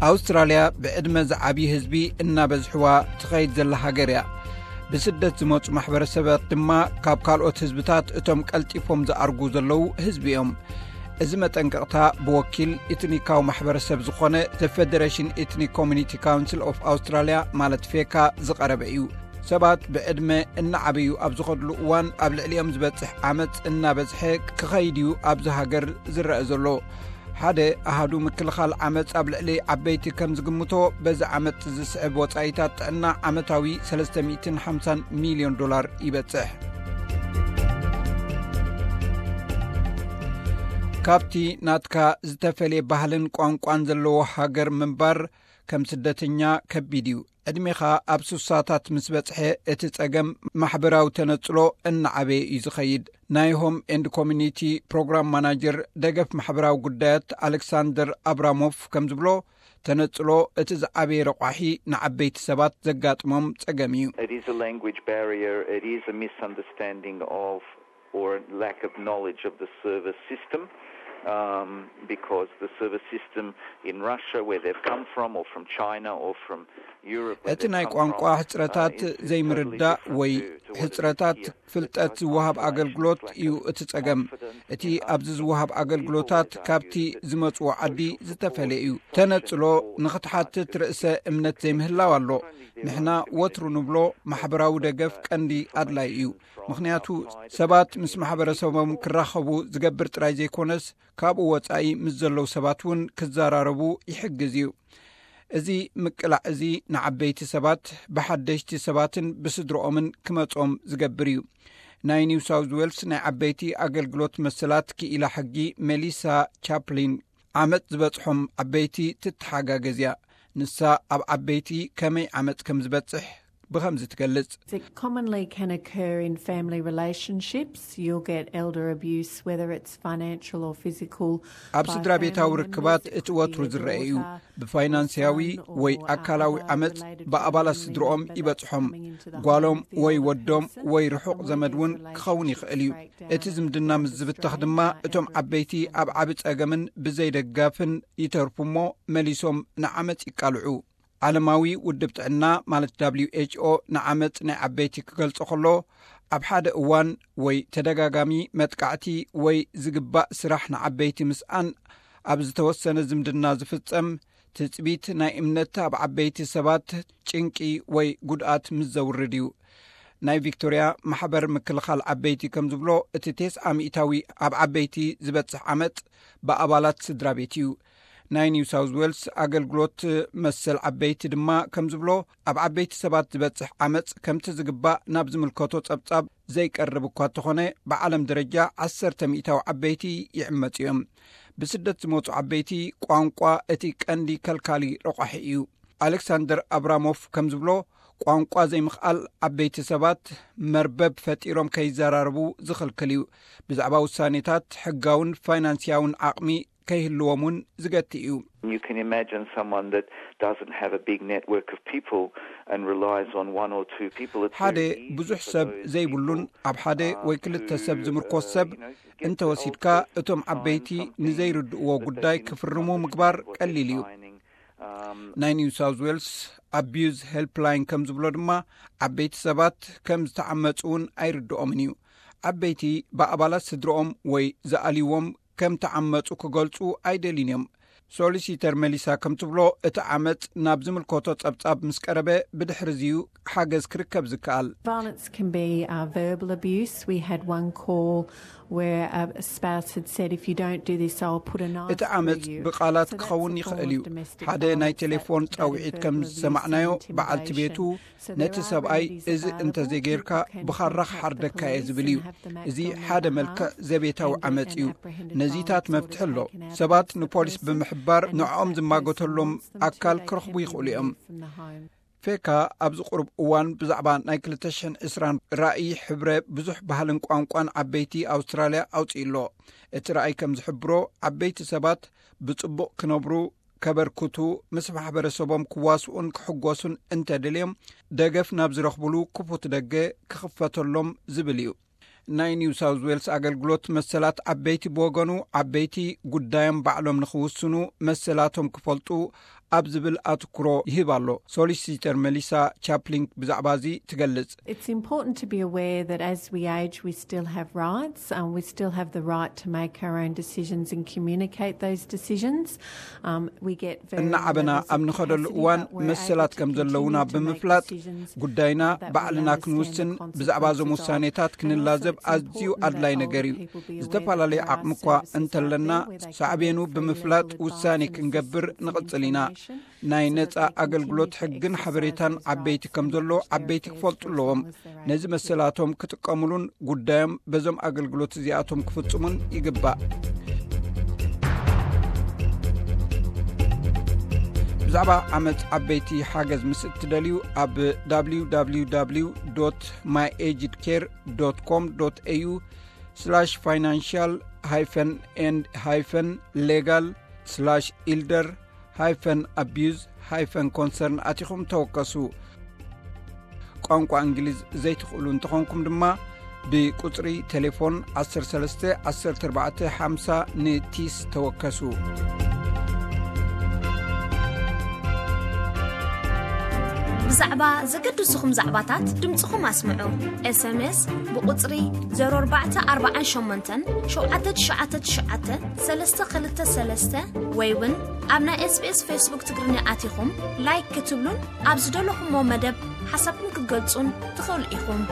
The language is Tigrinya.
ኣውስትራልያ ብዕድመ ዝዓብዩ ህዝቢ እናበዝሕዋ ትኸይድ ዘላ ሃገር እያ። ብስደት ዝመጹ ማሕበረሰባት ድማ ካብ ካልኦት ህዝብታት እቶም ቀልጢፎም ዝኣርጉ ዘለዉ ህዝቢ እዮም። እዚ መጠንቀቕታ ብወኪል ኤትኒካዊ ማሕበረሰብ ዝኾነ The Federation Ethnic Community Council of Australia ማለት ፌካ ዝቐረበ እዩ። ሰባት ብዕድመ እናዓበዩ ኣብ ዝኸድሉ እዋን ኣብ ልዕሊኦም ዝበጽሕ ዓመጽ እናበዝሐ ክኸይድ እዩ ኣብዚ ሃገር ዝረአ ዘሎ። ሓደ ኣሃዱ ምክልኻል ዓመጽ ኣብ ልዕሊ ዓበይቲ ከም ዝግምቶ፣ በዚ ዓመጽ ዝስዕብ ወጻኢታት ጥዕና ዓመታዊ ሰለስተ ሚእትን ሓምሳን ሚልዮን ዶላር ይበጽሕ። ካብቲ ናትካ ዝተፈልየ ባህልን ቋንቋን ዘለዎ ሃገር ምንባር ከም ስደተኛ ከቢድ እዩ። ዕድሜኻ ኣብ ሱሳታት ምስ በጽሐ፣ እቲ ጸገም ማሕበራዊ ተነጽሎ እናዓበየ እዩ ዝኸይድ። ናይ ሆም ኤንድ ኮሚኒቲ ፕሮግራም ማናጀር ደገፍ ማሕበራዊ ጉዳያት ኣሌክሳንደር ኣብራሞፍ ከም ዝብሎ፣ ተነጽሎ እቲ ዝዓበየ ረቋሒ ንዓበይቲ ሰባት ዘጋጥሞም ጸገም እዩ። It is a language barrier. It is a misunderstanding of or lack of knowledge of the service system. Um, because the service system in Russia, where they've come from, or from China, or from Europe, where እቲ they've ናይ come ቋንቋ from, ሕጽረታት uh, is, is totally ዘይምርዳእ different ወይ to, to what it is ሕጽረታት here. ፍልጠት It's both ዝወሃብ isolation, ኣገልግሎት lack እዩ of እቲ ጸገም። confidence እቲ in ኣብዚ others, ዝወሃብ people ኣገልግሎታት that are ካብቲ used to ዝመጽዎ ዓዲ social ዝተፈለየ እዩ። support, ተነጽሎ social support ንኽትሓትት that ርእሰ እምነት ዘይምህላው ኣሎ። ንሕና ወትሩ ንብሎ፣ ማሕበራዊ ደገፍ ቀንዲ ኣድላይ እዩ። ምኽንያቱ ሰባት ምስ ማሕበረሰቦም ክራኸቡ ዝገብር ጥራይ ዘይኮነስ፣ ካብኡ ወጻኢ ምስ ዘለዉ ሰባት እውን ክዘራረቡ ይሕግዝ እዩ። እዚ ምቅላዕ እዚ ንዓበይቲ ሰባት ብሓደሽቲ ሰባትን ብስድርኦምን ክመጾም ዝገብር እዩ። ናይ ኒው ሳውዝ ዌልስ ናይ ዓበይቲ ኣገልግሎት መሰላት ክኢላ ሕጊ ሜሊሳ ቻፕሊን፣ ዓመጽ ዝበጽሖም ዓበይቲ ትተሓጋገዝ እያ። ንሳ ኣብ ዓበይቲ ከመይ ዓመጽ ከም ዝበጽሕ ብኸምዚ ትገልጽ። It commonly can occur in family relationships. You'll get elder abuse, whether it's financial or physical. ኣብ ስድራ ቤታዊ ርክባት እቲ ወትሩ ዝረአ እዩ። ብፋይናንስያዊ ወይ ኣካላዊ ዓመጽ ብኣባላት ስድርኦም ይበጽሖም። ጓሎም ወይ ወዶም ወይ ርሑቕ ዘመድ እውን ክኸውን ይኽእል እዩ። እቲ ዝምድና ምስ ዝብተኽ ድማ እቶም ዓበይቲ ኣብ ዓቢ ጸገምን ብዘይደጋፍን ይተርፉ እሞ መሊሶም ንዓመጽ ይቃልዑ። ዓለማዊ ውድብ ጥዕና ማለት ደብሊው ኤች ኦ ንዓመጽ ናይ ዓበይቲ ክገልጾ ከሎ፣ ኣብ ሓደ እዋን ወይ ተደጋጋሚ መጥቃዕቲ ወይ ዝግባእ ስራሕ ንዓበይቲ ምስኣን ኣብ ዝተወሰነ ዝምድና ዝፍጸም ትጽቢት ናይ እምነት ኣብ ዓበይቲ ሰባት ጭንቂ ወይ ጉድኣት ምስ ዘውርድ እዩ። ናይ ቪክቶርያ ማሕበር ምክልኻል ዓበይቲ ከም ዝብሎ፣ እቲ ተስዓ ሚእታዊ ኣብ ዓበይቲ ዝበጽሕ ዓመጽ ብኣባላት ስድራ ቤት እዩ። ናይ ኒው ሳውዝ ዌልስ ኣገልግሎት መሰል ዓበይቲ ድማ ከም ዝብሎ፣ ኣብ ዓበይቲ ሰባት ዝበጽሕ ዓመጽ ከምቲ ዝግባእ ናብ ዝምልከቶ ጸብጻብ ዘይቀርብ እኳ እንተኾነ፣ ብዓለም ደረጃ ዓሰርተ ሚእታዊ ዓበይቲ ይዕመጹ እዮም። ብስደት ዝመጹ ዓበይቲ ቋንቋ እቲ ቀንዲ ከልካሊ ረቋሒ እዩ። ኣሌክሳንደር ኣብራሞፍ ከም ዝብሎ፣ ቋንቋ ዘይምኽኣል ዓበይቲ ሰባት መርበብ ፈጢሮም ከይዘራረቡ ዝኽልክል እዩ። ብዛዕባ ውሳኔታት ሕጋውን ፋይናንስያውን ዓቕሚ ከይህልዎም እውን ዝገቲ እዩ። You can imagine someone that doesn't have a big network of people and relies on one or two people. It's ሓደ very easy ብዙሕ for ሰብ those ዘይብሉን people, ኣብ ሓደ uh, ወይ ክልተ to, ሰብ ዝምርኮስ uh, ሰብ you know, get the እንተወሲድካ፣ old-fashioned እቶም sign ዓበይቲ something ንዘይርድእዎ that they ጉዳይ can ክፍርሙ understand ምግባር what they're ቀሊል እዩ። signing. Um, ናይ ኒው ሳውዝ ዌልስ ኣቢዩዝ ሄልፕላይን ከም ዝብሎ ድማ፣ ዓበይቲ ሰባት ከም ዝተዓመጹ እውን ኣይርድኦምን እዩ። ዓበይቲ ብኣባላት ስድርኦም ወይ ዝኣልይዎም ከም ተዓመጹ ክገልጹ ኣይደልዩን እዮም። ሶሊሲተር መሊሳ ከም ትብሎ፣ እቲ ዓመጽ ናብ ዝምልከቶ ጸብጻብ ምስ ቀረበ፣ ብድሕሪ እዚዩ ሓገዝ ክርከብ ዝከኣል። Violence can be uh, verbal abuse. We had one call where a spouse had said, "If you don't do this, I'll put a knife እቲ ዓመጽ through you." ብቓላት So that's ክኸውን the ይኽእል form እዩ። of domestic ሓደ violence, ናይ that- ቴሌፎን that ጻውዒት verbal ከም abuse and ዝሰማዕናዮ፣ በዓልቲ ቤቱ intimidation. So there ነቲ are ሰብኣይ remedies እዚ available. እንተዘይጌርካ People can ብኻራ contact the ክሓርደካ እየ police ዝብል and እዩ። have them act እዚ on their ሓደ behalf. መልክዕ ዘቤታዊ And they ዓመጽ can እዩ። apprehend ነዚታት violence or መፍትሒ ኣሎ። take an ሰባት adverse ንፖሊስ order ብምሕባር and if ንዕኦም that ዝማጎተሎም person wants them, ኣካል they ክረኽቡ can be ይኽእሉ እዮም። removed from the home. ፌካ ኣብዚ ቁሩብ እዋን ብዛዕባ ናይ ክልተ ሽሕን ዕስራን ራእይ ሕብረ ብዙሕ ባህልን ቋንቋን ዓበይቲ ኣውስትራልያ ኣውጺኡ ኣሎ። እቲ ራእይ ከም ዝሕብሮ፣ ዓበይቲ ሰባት ብጽቡቕ ክነብሩ፣ ከበርክቱ፣ ምስ ማሕበረሰቦም ክዋስኡን ክሕጎሱን እንተደልዮም፣ ደገፍ ናብ ዝረኽብሉ ክፉት ደገ ክኽፈተሎም ዝብል እዩ። ናይ ኒው ሳውዝ ዌልስ ኣገልግሎት መሰላት ዓበይቲ ብወገኑ፣ ዓበይቲ ጉዳዮም ባዕሎም ንኽውስኑ፣ መሰላቶም ክፈልጡ፣ ኣብ ዝብል ኣትኩሮ ይህብ ኣሎ። ሶሊሲተር መሊሳ ቻፕሊንግ ብዛዕባ እዚ ትገልጽ። It's important to be aware that as we age, we still have rights. Um, we still have the right to make our own decisions and communicate those decisions. Um, we get very እናዓበና ኣብ ንኸደሉ እዋን መሰላት ከም ዘለውና ብምፍላጥ ጉዳይና ባዕልና ክንውስን ብዛዕባ እዞም ውሳኔታት ክንላዘብ ኣዝዩ ኣድላይ ነገር እዩ። ዝተፈላለዩ ዓቕሚ እኳ እንተለና ሳዕቤኑ ብምፍላጥ ውሳኔ ክንገብር ንቕጽል ኢና። ናይ ነጻ ኣገልግሎት ሕግን ሓበሬታን ዓበይቲ ከም ዘሎ ዓበይቲ ክፈልጡ ኣለዎም። ነዚ መሰላቶም ክጥቀሙሉን ጉዳዮም በዞም ኣገልግሎት እዚኣቶም ክፍጽሙን ይግባእ። ብዛዕባ ዓመፅ ዓበይቲ ሓገዝ ምስ እትደልዩ ኣብ www myagedcare com au financial hyphen and hyphen legal slash elder hyphen abuse hyphen concern ኣቲኹም ተወከሱ። ቋንቋ እንግሊዝ ዘይትኽእሉ እንተኾንኩም ድማ ብቁፅሪ ቴሌፎን ዓሰርተ ሰለስተ ዓሰርተ ኣርባዕተ ሓምሳ ንቲስ ተወከሱ። ብዛዕባ ዘገድሱኹም ዛዕባታት ድምፅኹም ኣስምዑ። ኤስኤምኤስ ብቁፅሪ ዜሮ ኣርባዕተ ኣርባዓን ሸሞንተን ሸውዓተ ትሽዓተ ትሽዓተ ሰለስተ ክልተ ሰለስተ ወይ እውን ኣብ ናይ ኤስቢኤስ ፌስቡክ ትግርኛ ኣቲኹም ላይክ ክትብሉን ኣብ ዝደለኹሞ መደብ ሓሳብኩም ክትገልጹን ትኽእሉ ኢኹም።